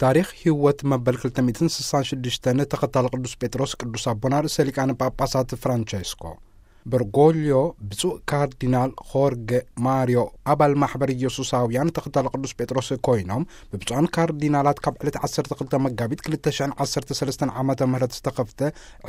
ታሪኽ ህይወት መበል ክልተ ሚእትን ስሳን ሽዱሽተን ተኸታሊ ቅዱስ ጴጥሮስ ቅዱስ ኣቦና ርእሰ ሊቃነ ጳጳሳት ፍራንቸስኮ። በርጎልዮ ብፁዕ ካርዲናል ሆርገ ማርዮ ኣባል ማሕበር ኢየሱሳውያን ተኸታሊ ቅዱስ ጴጥሮስ ኮይኖም፣ ብብፁዓን ካርዲናላት ካብ ዕለት ዓሰርተ ክልተ መጋቢት ክልተ ሽሕን ዓሰርተ ሰለስተን ዓመተ ምህረት ዝተኸፍተ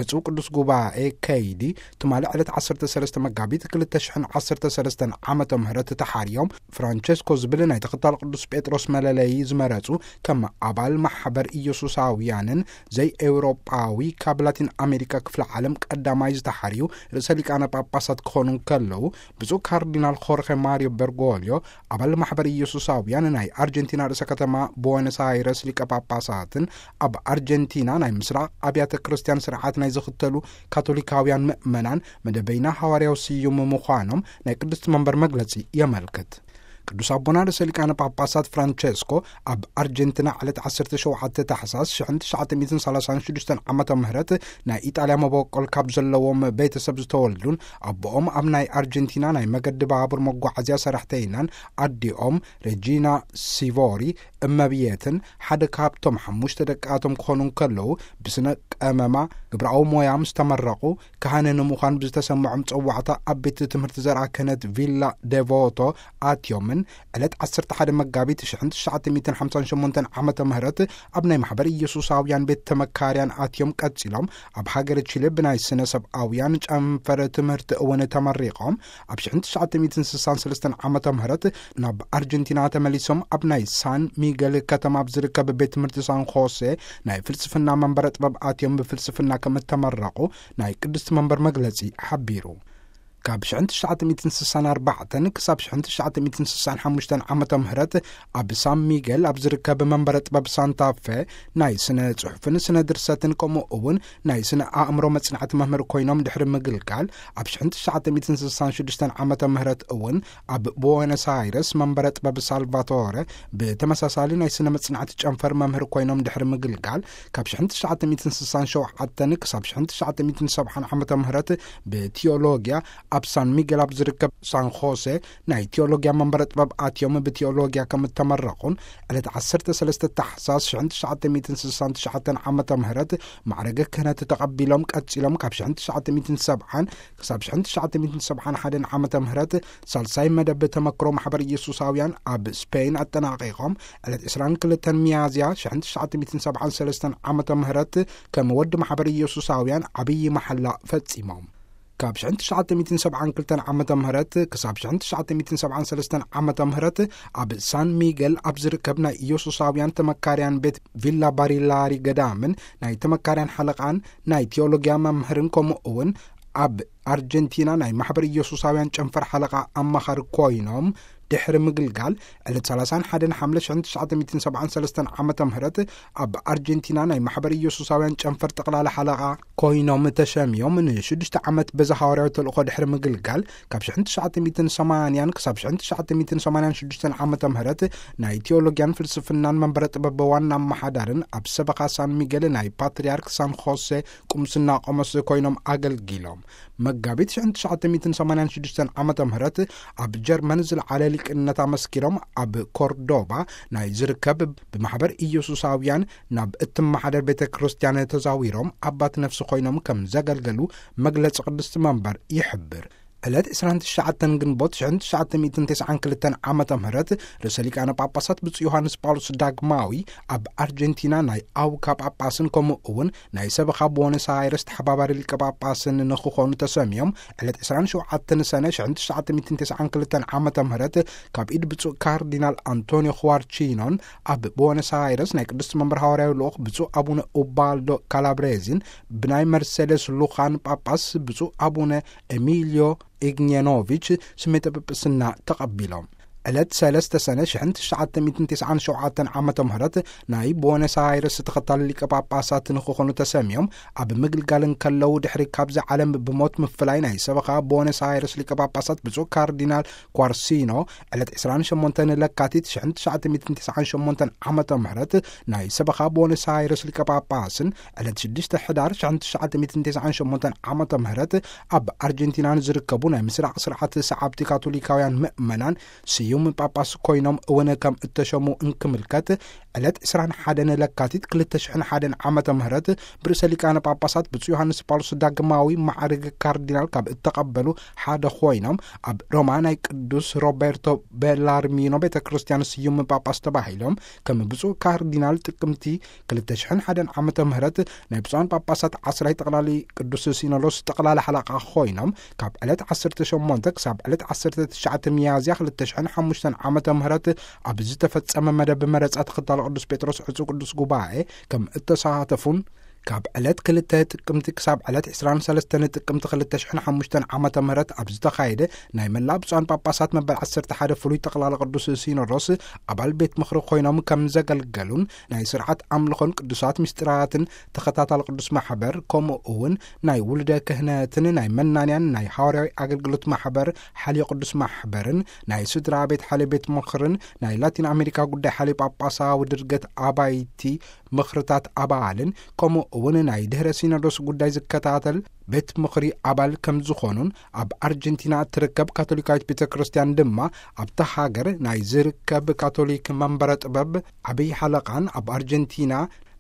ዕጹው ቅዱስ ጉባኤ ከይዲ፣ ትማሊ ዕለት ዓሰርተ ሰለስተ መጋቢት ክልተ ሽሕን ዓሰርተ ሰለስተን ዓመተ ምህረት ተሓርዮም፣ ፍራንቸስኮ ዝብል ናይ ተኸታሊ ቅዱስ ጴጥሮስ መለለዪ ዝመረጹ ከም ኣባል ማሕበር ኢየሱሳውያንን ዘይኤውሮጳዊ ካብ ላቲን ኣሜሪካ ክፍለ ዓለም ቀዳማይ ዝተሓርዩ ርእሰ ሊቃነ ጳጳሳት ክኾኑ እንከለዉ፣ ብፁዕ ካርዲናል ኾርኸ ማርዮ በርጎልዮ ኣባል ማሕበር ኢየሱሳውያን ናይ ኣርጀንቲና ርእሰ ከተማ ቦነስ ኣይረስ ሊቀ ጳጳሳትን ኣብ ኣርጀንቲና ናይ ምስራቕ ኣብያተ ክርስቲያን ስርዓት ናይ ዝኽተሉ ካቶሊካውያን ምእመናን መደበይና ሃዋርያዊ ስዩም ምዃኖም ናይ ቅድስቲ መንበር መግለጺ የመልክት። ቅዱስ ኣቦና ርእሰ ሊቃነ ጳጳሳት ፍራንቸስኮ ኣብ ኣርጀንቲና ዕለት ዓሰርተ ሸውዓተ ታሕሳስ ሽሕን ትሽዓተ ሚእትን ሰላሳን ሽዱሽተን ዓመተ ምህረት ናይ ኢጣልያ መበቆል ካብ ዘለዎም ቤተሰብ ዝተወልዱን ኣቦኦም ኣብ ናይ ኣርጀንቲና ናይ መገዲ ባቡር መጓዓዝያ ሰራሕተይናን ኣዲኦም ሬጂና ሲቮሪ እመብየትን ሓደ ካብቶም ሓሙሽተ ደቃቶም ክኾኑ እንከለዉ ብስነ ቀመማ ግብራዊ ሞያ ምስ ተመረቑ ካህነ ንምዃን ብዝተሰምዖም ጸዋዕታ ኣብ ቤት ትምህርቲ ዘርኣ ክህነት ቪላ ደቮቶ ኣትዮምን ዕለት ዓሰርተ ሓደ መጋቢት ሽሕን ትሽዓተ ሚእትን ሓምሳን ሸሞንተን ዓመተ ምህረት ኣብ ናይ ማሕበር ኢየሱሳውያን ቤት ተመካርያን ኣትዮም ቀጺሎም ኣብ ሃገረ ቺለ ብናይ ስነ ሰብኣውያን ጨንፈር ትምህርቲ እውን ተመሪቖም ኣብ ሽሕን ትሽዓተ ሚእትን ስሳን ሰለስተን ዓመተ ምህረት ናብ ኣርጀንቲና ተመሊሶም ኣብ ናይ ሳን ሚገል ከተማ ኣብ ዝርከብ ቤት ትምህርቲ ሳን ኾሴ ናይ ፍልስፍና መንበረ ጥበብ ኣትዮም ብፍልስፍና ከም እተመረቑ ናይ ቅድስቲ መንበር መግለጺ ሓቢሩ። ካብ ሽሕን ትሽዓተ ሚእትን ስሳን ኣርባዕተን ክሳብ ሽሕን ትሽዓተ ሚእትን ስሳን ሓሙሽተን ዓመተ ምህረት ኣብ ሳን ሚገል ኣብ ዝርከብ መንበረ ጥበብ ሳንታፈ ናይ ስነ ጽሑፍን ስነ ድርሰትን ከምኡ እውን ናይ ስነ ኣእምሮ መጽናዕቲ መምህር ኮይኖም ድሕሪ ምግልጋል ኣብ ሽሕን ትሽዓተ ሚእትን ስሳን ሽዱሽተን ዓመተ ምህረት እውን ኣብ ቦነስ ኣይረስ መንበረ ጥበብ ሳልቫቶረ ብተመሳሳሊ ናይ ስነ መጽናዕቲ ጨንፈር መምህር ኮይኖም ድሕሪ ምግልጋል ካብ ሽሕን ትሽዓተ ሚእትን ስሳን ሸውዓተን ክሳብ ሽሕን ትሽዓተ ሚእትን ሰብዓን ዓመተ ምህረት ብቲዮሎጊያ ኣብ ሳን ሚገል ኣብ ዝርከብ ሳን ኾሴ ናይ ቲዮሎጊያ መንበረ ጥበብ ኣትዮም ብቲዮሎጊያ ከም እተመረቑን ዕለት ዓሰርተ ሰለስተ ታሕሳስ ሽሕን ትሽዓተ ሚእትን ስሳን ትሽዓተን ዓመተ ምህረት ማዕረገ ክህነት ተቐቢሎም ቀጺሎም ካብ ሽሕን ትሽዓተ ሚእትን ሰብዓን ክሳብ ሽሕን ትሽዓተ ሚእትን ሰብዓን ሓደን ዓመተ ምህረት ሳልሳይ መደብ ተመክሮ ማሕበር ኢየሱሳውያን ኣብ ስፔን ኣጠናቒቖም ዕለት ዕስራን ክልተን ሚያዝያ ሽሕን ትሽዓተ ሚእትን ሰብዓን ሰለስተን ዓመተ ምህረት ከም ወዲ ማሕበር ኢየሱሳውያን ዓብዪ መሓላ ፈጺሞም። ካብ ሽሕን ትሽዓተ ሚእትን ሰብዓን ክልተን ዓመተ ምህረት ክሳብ ሽሕን ትሽዓተ ሚእትን ሰብዓን ሰለስተን ዓመተ ምህረት ኣብ ሳን ሚገል ኣብ ዝርከብ ናይ ኢየሱሳውያን ተመካርያን ቤት ቪላ ባሪላሪ ገዳምን ናይ ተመካርያን ሓለቓን ናይ ቲዮሎጊያ መምህርን ከምኡ እውን ኣብ ኣርጀንቲና ናይ ማሕበር ኢየሱሳውያን ጨንፈር ሓለቓ ኣማኻሪ ኮይኖም ድሕሪ ምግልጋል ዕለት ሰላሳን ሓደን ሓምለ ሽሕን ትሽዓተ ሚእትን ሰብዓን ሰለስተን ዓመተ ምህረት ኣብ ኣርጀንቲና ናይ ማሕበር ኢየሱሳውያን ጨንፈር ጠቕላላ ሓለቓ ኮይኖም ተሸምዮም ንሽዱሽተ ዓመት በዚ ሃዋርያዊ ተልእኾ ድሕሪ ምግልጋል ካብ ሽሕን ትሽዓተ ሚእትን ሰማንያን ክሳብ ሽሕን ትሽዓተ ሚእትን ሰማንያን ሽዱሽተን ዓመተ ምህረት ናይ ቲዮሎጊያን ፍልስፍናን መንበረ ጥበብ ዋና ኣመሓዳርን ኣብ ሰበኻ ሳን ሚገል ናይ ፓትርያርክ ሳን ኾሴ ቁምስና ቆሞስ ኮይኖም ኣገልጊሎም። መጋቢት ሽሕን ትሽዓተ ሚእትን ሰማንያን ሽዱሽተን ዓመተ ምህረት ኣብ ጀርመን ዝለዓለ ሊቅነት ኣመስኪሮም ኣብ ኮርዶባ ናይ ዝርከብ ብማሕበር ኢየሱሳውያን ናብ እትመሓደር ቤተ ክርስቲያን ተዛዊሮም ኣባት ነፍሲ ኮይኖም ከም ዘገልገሉ መግለጺ ቅድስቲ መንበር ይሕብር። ዕለት ዕስራን ትሽዓተን ግንቦት ሽሕን ትሽዓተ ሚእትን ተስዓን ክልተን ዓመተ ምህረት ርእሰ ሊቃነ ጳጳሳት ብፁዕ ዮሃንስ ጳውሎስ ዳግማዊ ኣብ ኣርጀንቲና ናይ ኣውካ ጳጳስን ከምኡ እውን ናይ ሰበኻ ቦነስ ኣይረስ ተሓባባሪ ሊቀ ጳጳስን ንክኾኑ ተሰምዮም ዕለት ዕስራን ሸውዓተን ሰነ ሽሕን ትሽዓተ ሚእትን ተስዓን ክልተን ዓመተ ምህረት ካብ ኢድ ብፁዕ ካርዲናል ኣንቶኒዮ ኹዋርቺኖን ኣብ ቦነስ ኣይረስ ናይ ቅድስቲ መንበር ሃዋርያዊ ልኡኽ ብፁዕ ኣቡነ ኡባልዶ ካላብሬዚን ብናይ መርሴሌስ ሉኻን ጳጳስ ብፁዕ ኣቡነ ኤሚልዮ ኢግኔኖቪች ስሜተ ጵጵስና ተቐቢሎም። ዕለት ሰለስተ ሰነ ሽሕን ትሽዓተ ሚእትን ተስዓን ሸውዓተን ዓመተ ምህረት ናይ ቦነስ ኣይረስ ተኸታሊ ሊቀ ጳጳሳት ንክኾኑ ተሰምዮም ኣብ ምግልጋል እንከለዉ ድሕሪ ካብዚ ዓለም ብሞት ምፍላይ ናይ ሰበኻ ቦነስ ኣይረስ ሊቀ ጳጳሳት ብፁዕ ካርዲናል ኳርሲኖ ዕለት ዕስራን ሸሞንተን ለካቲት ሽሕን ትሽዓተ ሚእትን ተስዓን ሸሞንተን ዓመተ ምህረት ናይ ሰበኻ ቦነስ ኣይረስ ሊቀ ጳጳስን ዕለት ሽዱሽተ ሕዳር ሽሕን ትሽዓተ ሚእትን ተስዓን ሸሞንተን ዓመተ ምህረት ኣብ ኣርጀንቲና ንዝርከቡ ናይ ምስራቕ ስርዓት ሰዓብቲ ካቶሊካውያን ምእመናን ስዩም ጳጳስ ኮይኖም እውን ከም እተሸሙ እንክምልከት ዕለት ዕስራን ሓደን ለካቲት ክልተ ሽሕን ሓደን ዓመተ ምህረት ብርእሰ ሊቃነ ጳጳሳት ብፁዕ ዮሃንስ ጳውሎስ ዳግማዊ ማዕርግ ካርዲናል ካብ እተቐበሉ ሓደ ኮይኖም፣ ኣብ ሮማ ናይ ቅዱስ ሮቤርቶ ቤላርሚኖ ቤተ ክርስቲያን ስዩም ጳጳስ ተባሂሎም ከም ብፁዕ ካርዲናል ጥቅምቲ ክልተ ሽሕን ሓደን ዓመተ ምህረት ናይ ብፁዓን ጳጳሳት ዓስራይ ጠቕላሊ ቅዱስ ሲኖዶስ ጠቕላሊ ሓለቓ ኮይኖም፣ ካብ ዕለት ዓሰርተ ሸሞንተ ክሳብ ዕለት ዓሰርተ ትሽዓተ ሚያዝያ ክልተ ሽሕን ሓሙሽተን ዓመተ ምህረት ኣብ ዝተፈጸመ መደብ መረጻ ተኸታሎ ቅዱስ ጴጥሮስ ዕጹ ቅዱስ ጉባኤ ከም እተሳተፉን፣ ካብ ዕለት ክልተ ጥቅምቲ ክሳብ ዕለት ዕስራን ሰለስተን ጥቅምቲ ክልተ ሽሕን ሓሙሽተን ዓመተ ምህረት ኣብ ዝተኻየደ ናይ መላእ ብፁዓን ጳጳሳት መበል ዓሰርተ ሓደ ፍሉይ ጠቕላላ ቅዱስ ሲኖዶስ ኣባል ቤት ምኽሪ ኮይኖም ከም ዘገልገሉን፣ ናይ ስርዓት ኣምልኾን ቅዱሳት ምስጢራትን ተኸታታሊ ቅዱስ ማሕበር፣ ከምኡ እውን ናይ ውሉደ ክህነትን ናይ መናንያን ናይ ሃዋርያዊ ኣገልግሎት ማሕበር ሓልዮ ቅዱስ ማሕበርን ናይ ስድራ ቤት ሓልዮ ቤት ምኽርን ናይ ላቲን ኣሜሪካ ጉዳይ ሓልዮ ጳጳሳዊ ድርገት ኣባይቲ ምኽርታት ኣባልን፣ ከምኡ እውን ናይ ድህረ ሲኖዶስ ጉዳይ ዝከታተል ቤት ምኽሪ ኣባል ከም ዝኾኑን፣ ኣብ ኣርጀንቲና እትርከብ ካቶሊካዊት ቤተ ክርስቲያን ድማ ኣብታ ሃገር ናይ ዝርከብ ካቶሊክ መንበረ ጥበብ ዓብዪ ሓለቓን፣ ኣብ ኣርጀንቲና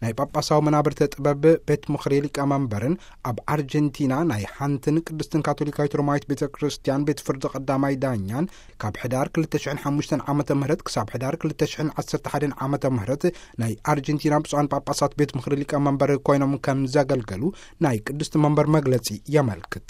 ናይ ጳጳሳዊ መናብርተ ጥበብ ቤት ምኽሪ ሊቀመንበርን፣ ኣብ ኣርጀንቲና ናይ ሓንትን ቅድስትን ካቶሊካዊት ሮማዊት ቤተ ክርስቲያን ቤት ፍርዲ ቀዳማይ ዳኛን፣ ካብ ሕዳር ክልተ ሽሕን ሓሙሽተን ዓመተ ምህረት ክሳብ ሕዳር ክልተ ሽሕን ዓሰርተ ሓደን ዓመተ ምህረት ናይ ኣርጀንቲና ብፁዓን ጳጳሳት ቤት ምኽሪ ሊቀመንበር ኮይኖም ከም ዘገልገሉ ናይ ቅድስቲ መንበር መግለጺ የመልክት።